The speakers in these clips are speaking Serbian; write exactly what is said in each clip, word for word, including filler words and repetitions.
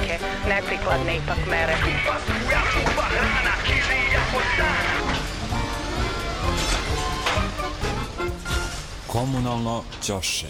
neke neprikladne ipak mere. Komunalno ćoše.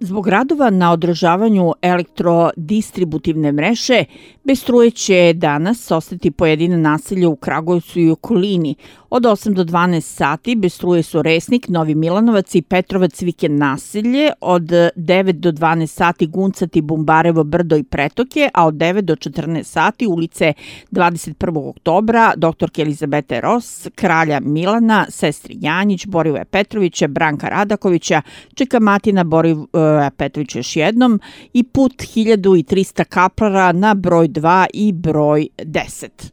Zbog radova na održavanju elektrodistributivne mreže, bez struje će danas ostati pojedine naselja u Kragujevcu i okolini. Od osam do dvanaest sati bez struje su Resnik, Novi Milanovac i Petrovac vikend naselje, od devet do dvanaest sati Guncati, Bumbarevo, Brdo i Pretoke, a od devet do četrnaest sati ulice dvadeset prvog oktobra, doktorke Elizabete Ros, Kralja Milana, Sestri Janjić, Borivoja Petrovića, Branka Radakovića, Čeka Matina, Borivoja Petrovića još jednom i put hiljadu trista kaplara na broj dva i broj deset.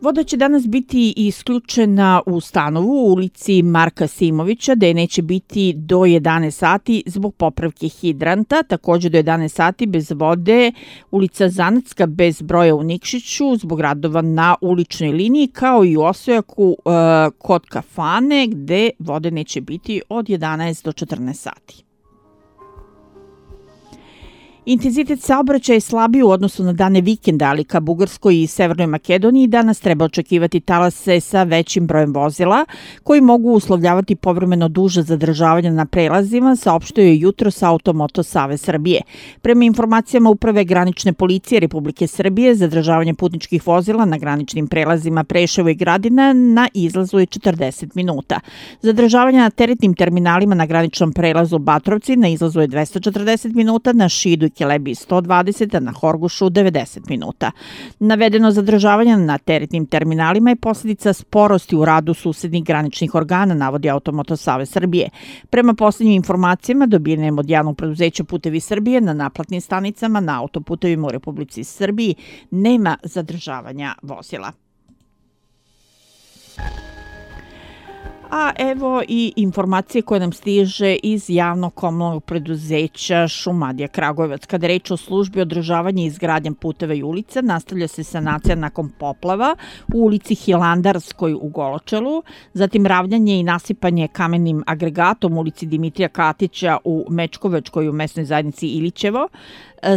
Voda će danas biti isključena u Stanovu u ulici Marka Simovića, gde neće biti do jedanaest sati zbog popravke hidranta. Također do jedanaest sati bez vode ulica Zanetska bez broja u Nikšiću zbog radova na uličnoj liniji, kao i u Osojaku e, kod kafane gde vode neće biti od jedanaest do četrnaest sati. Intenzitet saobraćaja je slabiji u odnosu na dane vikenda, ali ka Bugarskoj i Severnoj Makedoniji danas treba očekivati talase sa većim brojem vozila, koji mogu uslovljavati povremeno duže zadržavanje na prelazima, saopštio je jutros Automoto Savez Srbije. Prema informacijama Uprave granične policije Republike Srbije, zadržavanje putničkih vozila na graničnim prelazima Preševo i Gradina na izlazu je četrdeset minuta. Zadržavanje na teretnim terminalima na graničnom prelazu Batrovci na izlazu je dvesta četrdeset minuta, na Šidu i Kelebiji sto dvadeset, a na Horgošu devedeset minuta. Navedeno zadržavanje na teretnim terminalima je posljedica sporosti u radu susednih graničnih organa, navodi Automoto Savez Srbije. Prema posljednjim informacijama dobijenim od javnog preduzeća Putevi Srbije, na naplatnim stanicama na autoputevima u Republici Srbiji nema zadržavanja vozila. A evo i informacije koje nam stiže iz javnog komunalnog preduzeća Šumadija Kragujevac. Kada je reč o službi održavanja i izgradnje puteva i ulica, nastavlja se sanacija nakon poplava u ulici Hilandarskoj u Goločelu, zatim ravnjanje i nasipanje kamenim agregatom u ulici Dimitrija Katića u Mečkovačkoj u mesnoj zajednici Ilićevo,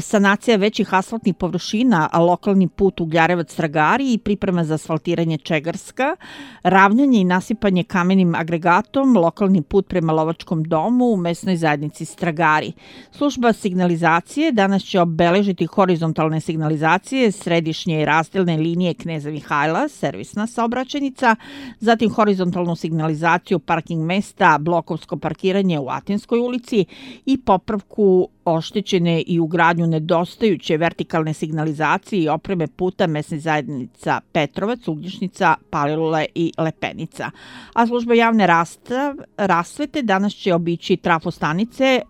sanacija većih asfaltnih površina, a lokalni put Ugljarevac-Stragari i priprema za asfaltiranje Čegarska, ravnjanje i nasipanje kamenim agregatom, lokalni put prema Lovačkom domu u mesnoj zajednici Stragari. Služba signalizacije danas će obeležiti horizontalne signalizacije središnje i razdelne linije Kneza Mihajla, servisna saobraćajnica, zatim horizontalnu signalizaciju parking mesta, blokovsko parkiranje u Atinskoj ulici i popravku oštećene i ugradnju nedostajuće vertikalne signalizacije i opreme puta mesnih zajednica Petrovac, Ugljišnica, Palilula i Lepenica. A služba javne rastav, rasvete danas će obići trafostanice, e,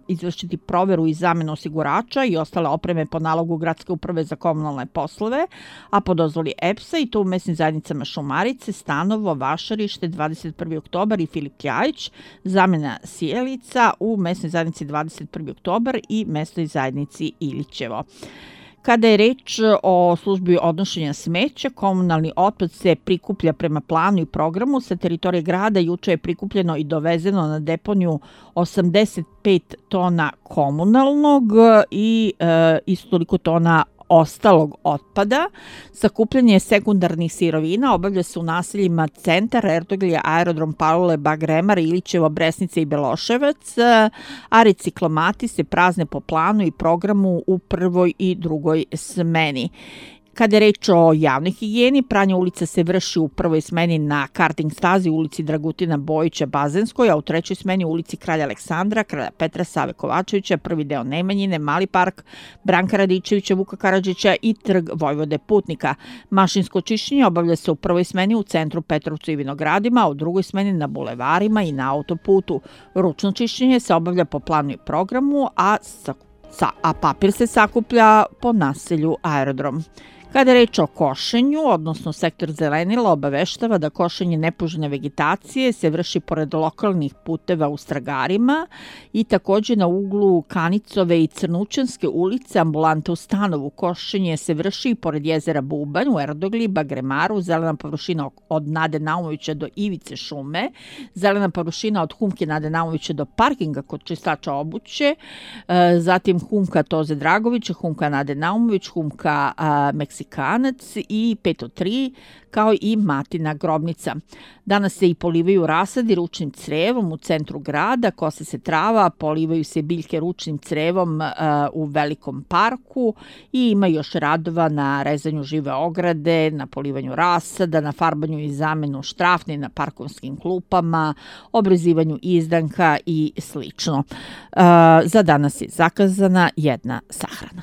izvršiti proveru i zamenu osigurača i ostale opreme po nalogu Gradske uprave za komunalne poslove, a po dozvoli E P S-a i to u mesnim zajednicama Šumarice, Stanovo, Vašarište, dvadeset prvi oktobar i Filip Kljajić, zamena sjelica u mesnoj zajednici dvadeset prvi oktobar i mesnoj zajednici Ilićevo. Kada je reč o službi odnošenja smeća, komunalni otpad se prikuplja prema planu i programu. Sa teritorije grada juče je prikupljeno i dovezeno na deponiju osamdeset pet tona komunalnog i e, isto toliko tona ostalog otpada. Sakupljanje sekundarnih sirovina obavlja se u naseljima Centar, Erdoglje, Aerodrom Palilule, Bagremar, Ilićevo, Bresnica i Beloševac, a reciklomati se prazne po planu i programu u prvoj i drugoj smeni. Kada je reč o javnoj higijeni, pranje ulica se vrši u prvoj smeni na karting stazi u ulici Dragutina Bojića Bazenskoj, a u trećoj smeni u ulici Kralja Aleksandra, Kralja Petra, Save Kovačevića, prvi deo Nemanjine, Mali park, Branka Radičevića, Vuka Karadžića i trg Vojvode Putnika. Mašinsko čišćenje obavlja se u prvoj smeni u centru Petrovcu i Vinogradima, a u drugoj smeni na bulevarima i na autoputu. Ručno čišćenje se obavlja po planu i programu, a, sa, a papir se sakuplja po naselju Aerodrom. Kada je reč o košenju, odnosno sektor zelenila obaveštava da košenje nepoželjne vegetacije se vrši pored lokalnih puteva u Stragarima i također na uglu Kanicove i Crnučanske ulice, ambulante u Stanovu. Košenje se vrši pored jezera Bubanj u Erdogli, Bagremaru, zelena površina od Nade Naumovića do Ivice šume, zelena površina od Humke Nade Naumovića do parkinga kod čistača obuće, zatim Humka Toze Dragovića, Humka Nade Naumović, Humka Meksikanac i petsto tri, kao i Matina grobnica. Danas se i polivaju rasadi ručnim crevom u centru grada, kose se trava, polivaju se biljke ručnim crevom uh, u velikom parku i ima još radova na rezanju žive ograde, na polivanju rasada, na farbanju i zamenu štrafni na parkovskim klupama, obrezivanju izdanka i slično. Uh, za danas je zakazana jedna sahrana.